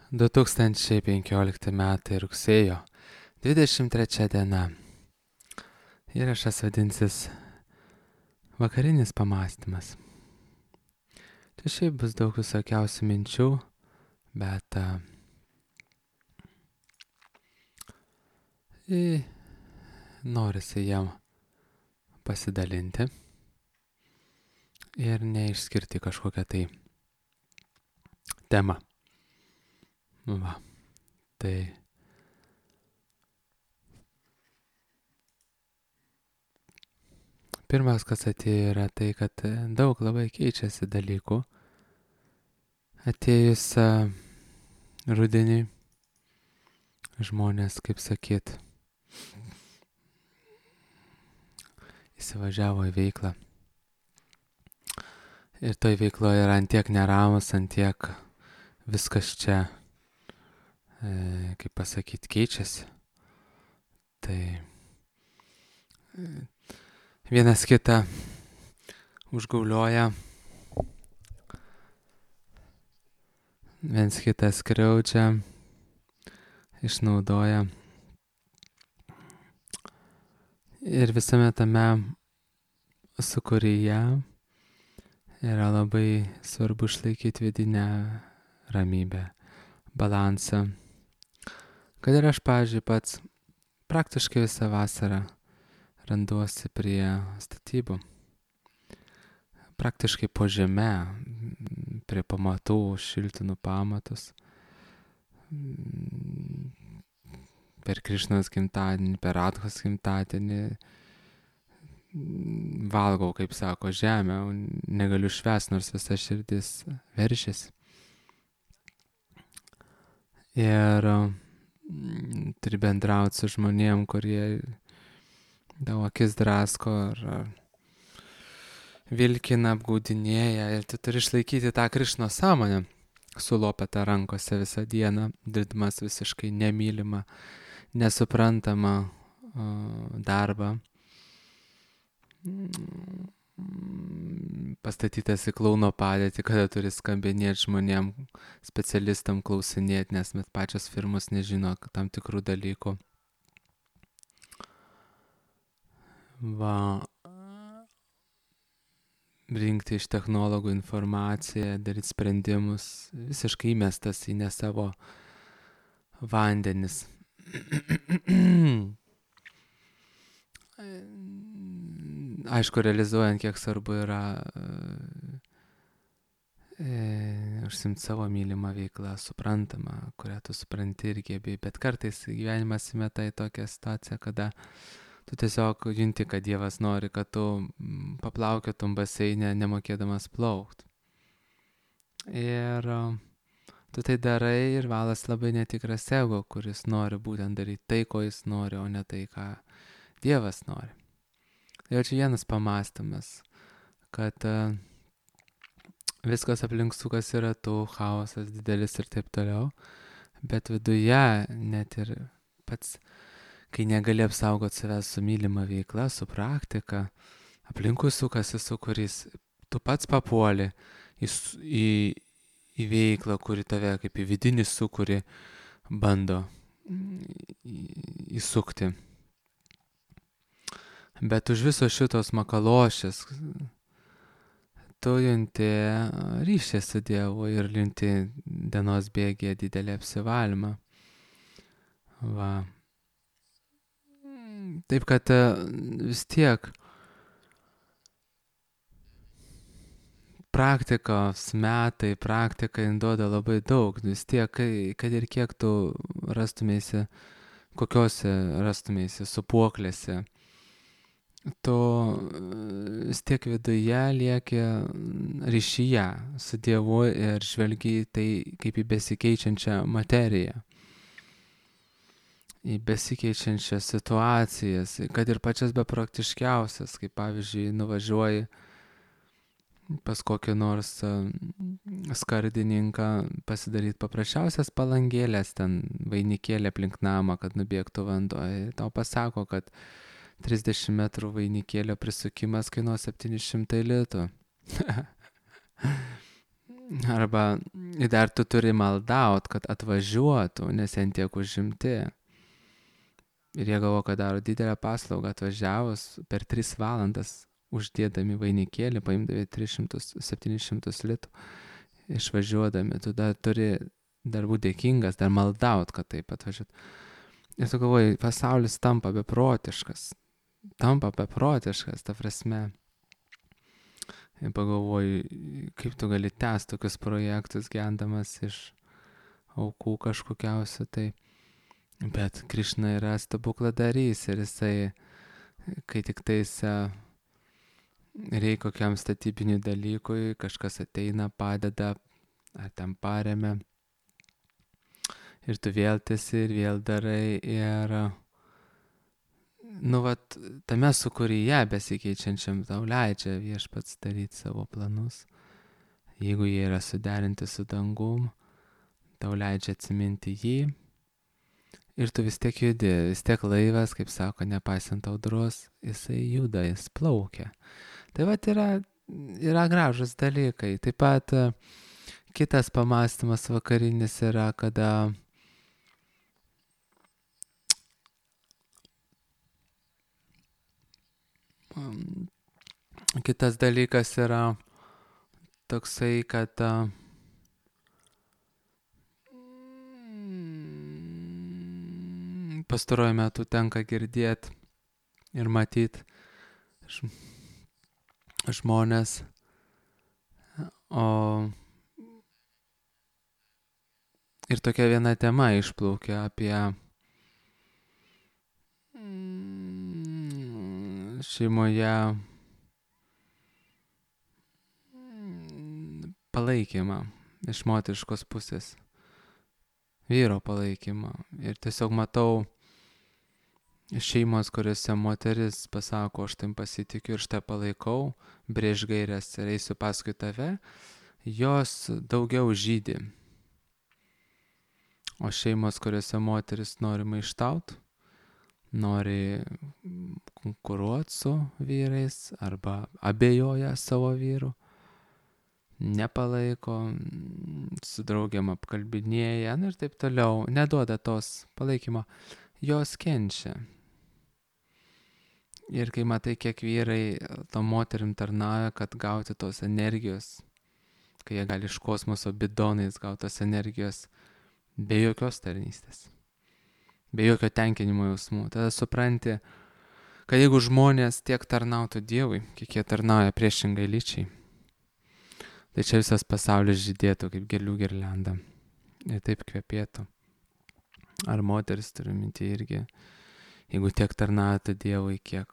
2015 metai rugsėjo 23 diena. Įrašas vadinsis Vakarinis pamąstymas. Čia šiaip bus daug visokiausių minčių, bet norisi jam pasidalinti ir neišskirti kažkokią tai temą. Va, tai pirmas, kas atėjo, yra tai, kad daug labai keičiasi dalykų. Atėjus rudenį žmonės, kaip sakyt, įsivažiavo į veiklą. Ir toj veikloje yra antiek neramus, antiek viskas čia, kaip pasakyt, keičiasi. Tai vienas kitą užgaulioja, viens kitą skriaudžia, išnaudoja. Ir visame tame sūkuryje yra labai svarbu išlaikyti vidinę ramybę, balansą. Kad ir aš, pavyzdžiui, pats praktiškai visą vasarą randuosi prie statybų. Praktiškai po žeme, prie pamatų, šiltinu pamatus. Per Krišnos gimtadienį, per Radhos gimtadienį valgau, kaip sako, žemę, negaliu švęsti, nors visa širdis veržiasi. Ir turi bendrauti su žmonėm, kurie tavo akis drasko ar vilkina, apgaudinėja, ir tu turi išlaikyti tą Krišnos sąmonę, sulopetą rankose visą dieną, dirbdamas visiškai nemylimą, nesuprantamą darbą, pastatytas į klauno padėtį, kada turi skambinėti žmonėm, specialistam klausinėti, nes met pačios firmos nežino tam tikrų dalykų. Va, rinkti iš technologų informaciją, daryti sprendimus, visiškai įmestas į ne savo vandenis. Aišku, realizuojant, kiek svarbu yra užsimti savo mylimą veiklą, suprantamą, kurią tu supranti ir gebi, bet kartais gyvenimas įmeta į tokią situaciją, kada tu tiesiog junti, kad Dievas nori, kad tu paplaukiotum baseinę, nemokėdamas plaukti. Ir tu tai darai ir valas labai netikras ego, kuris nori būtent daryti tai, ko jis nori, o ne tai, ką Dievas nori. Tai čia vienas pamąstymas, kad viskas aplink sukas yra tu, chaosas didelis ir taip toliau, bet viduje net ir pats, kai negali apsaugoti savęs su mylima veikla, su praktika, aplinkui sukasi sūkurys, tu pats papuoli į veiklą, kuri tave kaip į vidinį sūkurį bando įsukti. Bet už viso šitos makalošės tu junti ryšį su Dievu ir junti dienos bėgyje didelį apsivalymą. Va. Taip kad vis tiek praktikos metai, praktika duoda labai daug. Vis tiek, kad ir kiek tu rastumėsi, kokiose rastumėsi supuoklėse, tu vis tiek viduje lieki ryšyje su Dievu ir žvelgi tai kaip į besikeičiančią materiją, į besikeičiančias situacijas, kad ir pačias bepraktiškiausias, kaip pavyzdžiui nuvažiuoji pas kokį nors skardininką pasidaryti paprasčiausias palangėlės, ten vainikėlė aplink namą, kad nubėgtų vanduo. Tau pasako, kad 30 metrų vainikėlio prisukimas kainuoja 700 litų. Arba dar tu turi maldaut, kad atvažiuotų, nes jie tiek užimti. Ir jie galvo, kad daro didelę paslaugą atvažiavus per 3 valandas uždėdami vainikėlį, paimdami 300-700 litų, išvažiuodami, tu dar turi dar būti dėkingas, dar maldaut, kad taip atvažiuot. Ir tu galvoji, pasaulis tampa beprotiškas, ta prasme. Ir pagalvoju, kaip tu gali tęsti tokius projektus, gendamas iš aukų kažkokiausių, tai. Bet Krišna yra stebukladarys ir jisai, kai tik tais reikia kokiam statybiniui dalykui, kažkas ateina, padeda, ar ten paremia. Ir tu vėl tiesi ir vėl darai ir, tame sūkuryje besikeičiančiam tau leidžia viešpats daryti savo planus. Jeigu jie yra suderinti su dangum, tau leidžia atsiminti jį. Ir tu vis tiek judi, vis tiek laivas, kaip sako, nepaisant audros, jisai juda, jis plaukia. Tai yra gražus dalykai. Taip pat kitas pamastymas vakarinis yra, kada kitas dalykas yra toksai, kad pastaruoju metu tenka girdėti ir matyti žmonės, ir tokia viena tema išplaukia apie šeimoje palaikymą iš moteriškos pusės, vyro palaikymą. Ir tiesiog matau šeimos, kuriuose moteris pasako, aš tam pasitikiu ir štai palaikau, brėž gairias ir eisiu paskui tave, jos daugiau žydi. O šeimos, kuriuose moteris nori maištaut, nori konkuruoti su vyrais arba abejoja savo vyru, nepalaiko, su draugiam apkalbinėja ir taip toliau, neduoda tos palaikymo, jos kenčia. Ir kai matai, kiek vyrai to moterim tarnauja, kad gauti tos energijos, kai jie gali iš kosmoso bidonais gauti tos energijos be jokios tarnystės, be jokio tenkinimo jausmų, tada supranti, kad jeigu žmonės tiek tarnautų Dievui, kiek jie tarnauja priešingai lyčiai, tai čia visas pasaulis žydėtų kaip gėlių girlianda ir taip kvepėtų. Ar moteris turi minti irgi, jeigu tiek tarnautų Dievui, kiek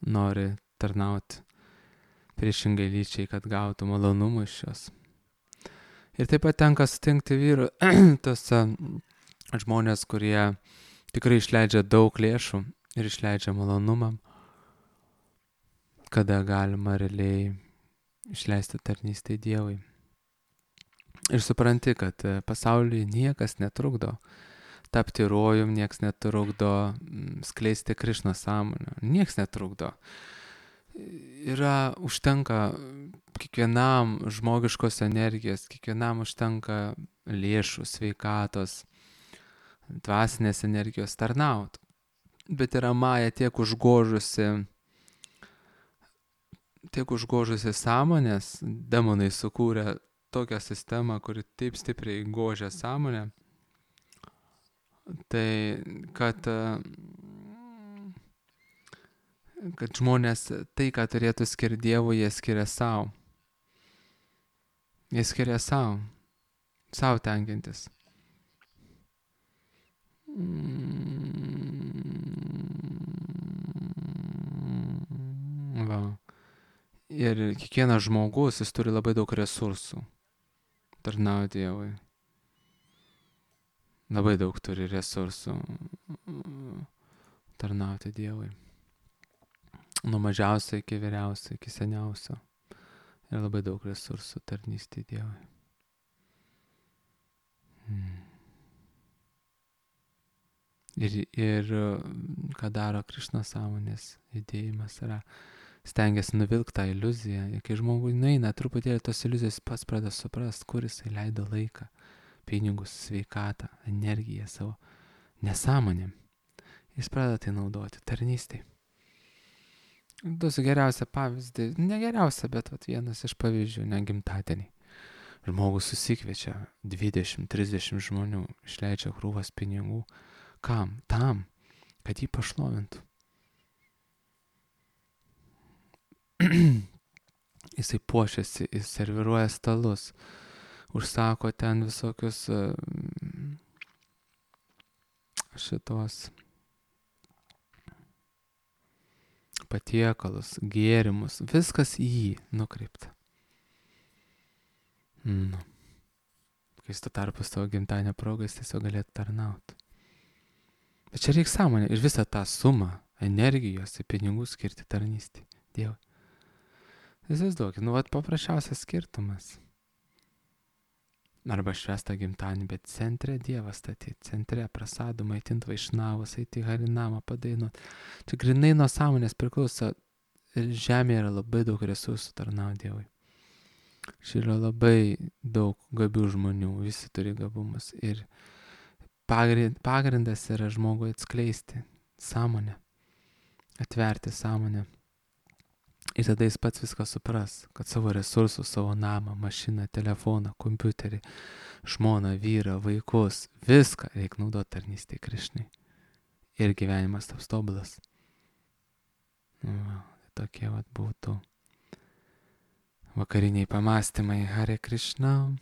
nori tarnauti priešingai lyčiai, kad gautų malonumų iš jos. Ir taip pat tenka sutikti vyrų tos žmonės, kurie tikrai išleidžia daug lėšų ir išleidžia malonumam, kada galima realiai išleisti tarnystę Dievui. Ir supranti, kad pasaulyje niekas netrukdo tapti rojum, nieks netrukdo skleisti Krišnos sąmonę, nieks netrukdo. Užtenka kiekvienam žmogiškos energijos, kiekvienam užtenka lėšų, sveikatos, dvasinės energijos tarnaut. Bet yra Maja tiek užgožusi sąmonės, demonai sukūrė tokią sistemą, kuri taip stipriai gožia sąmonę, tai kad žmonės tai, ką turėtų skirti Dievui, jie skiria savo. Jie skiria savo tenkintis. Va. Ir kiekvienas žmogus, jis turi labai daug resursų tarnauti Dievui. Labai daug turi resursų tarnauti Dievui. Nuo mažiausio iki vyriausio, iki seniausio. Ir labai daug resursų tarnystė Dievui. Ir ką daro Krišnos sąmonės judėjimas yra stengiasi nuvilkti tą iliuziją. Ir kai žmogui nueina truputėlį tos iliuzijos, pats pradeda suprast, kur jisai leido laiką, pinigus, sveikatą, energiją savo nesąmonėm. Jis pradeda tai naudoti tarnystėj. Duosiu geriausią pavyzdį, ne geriausią, bet vienas iš pavyzdžių, ne gimtadienį. Žmogus susikviečia 20-30 žmonių, išleidžia krūvas pinigų. Kam? Tam, kad jį pašlovintų. Jisai puošiasi, jis serviruoja stalus, užsako ten visokius šitos patiekalus, gėrimus, viskas į jį nukreipta. Kai tu tarpus tavo gimtadienio progas tiesiog galėtų tarnauti. Bet čia reikia sąmonė ir visą tą sumą energijos į pinigų skirti tarnystį Dievui. Įsivaizduokit, paprasčiausias skirtumas. Arba švestą gimtadienį, bet centre Dievą statyti, centre prasadų maitint vaišnavus, eiti į harinamą, padainuot. Čia grinai nuo sąmonės priklauso. Žemėje yra labai daug resursų tarnauti Dievui. Čia yra labai daug gabių žmonių, visi turi gabumus. Ir pagrindas yra žmogui atskleisti sąmonę, atverti sąmonę. Ir tada jis pats viską supras, kad savo resursus, savo namą, mašiną, telefoną, kompiuterį, žmoną, vyrą, vaikus, viską reikia naudoti tarnystėje Krišnai. Ir gyvenimas taps tobulas. Tokie būtų vakariniai pamastymai. Hare Krishna.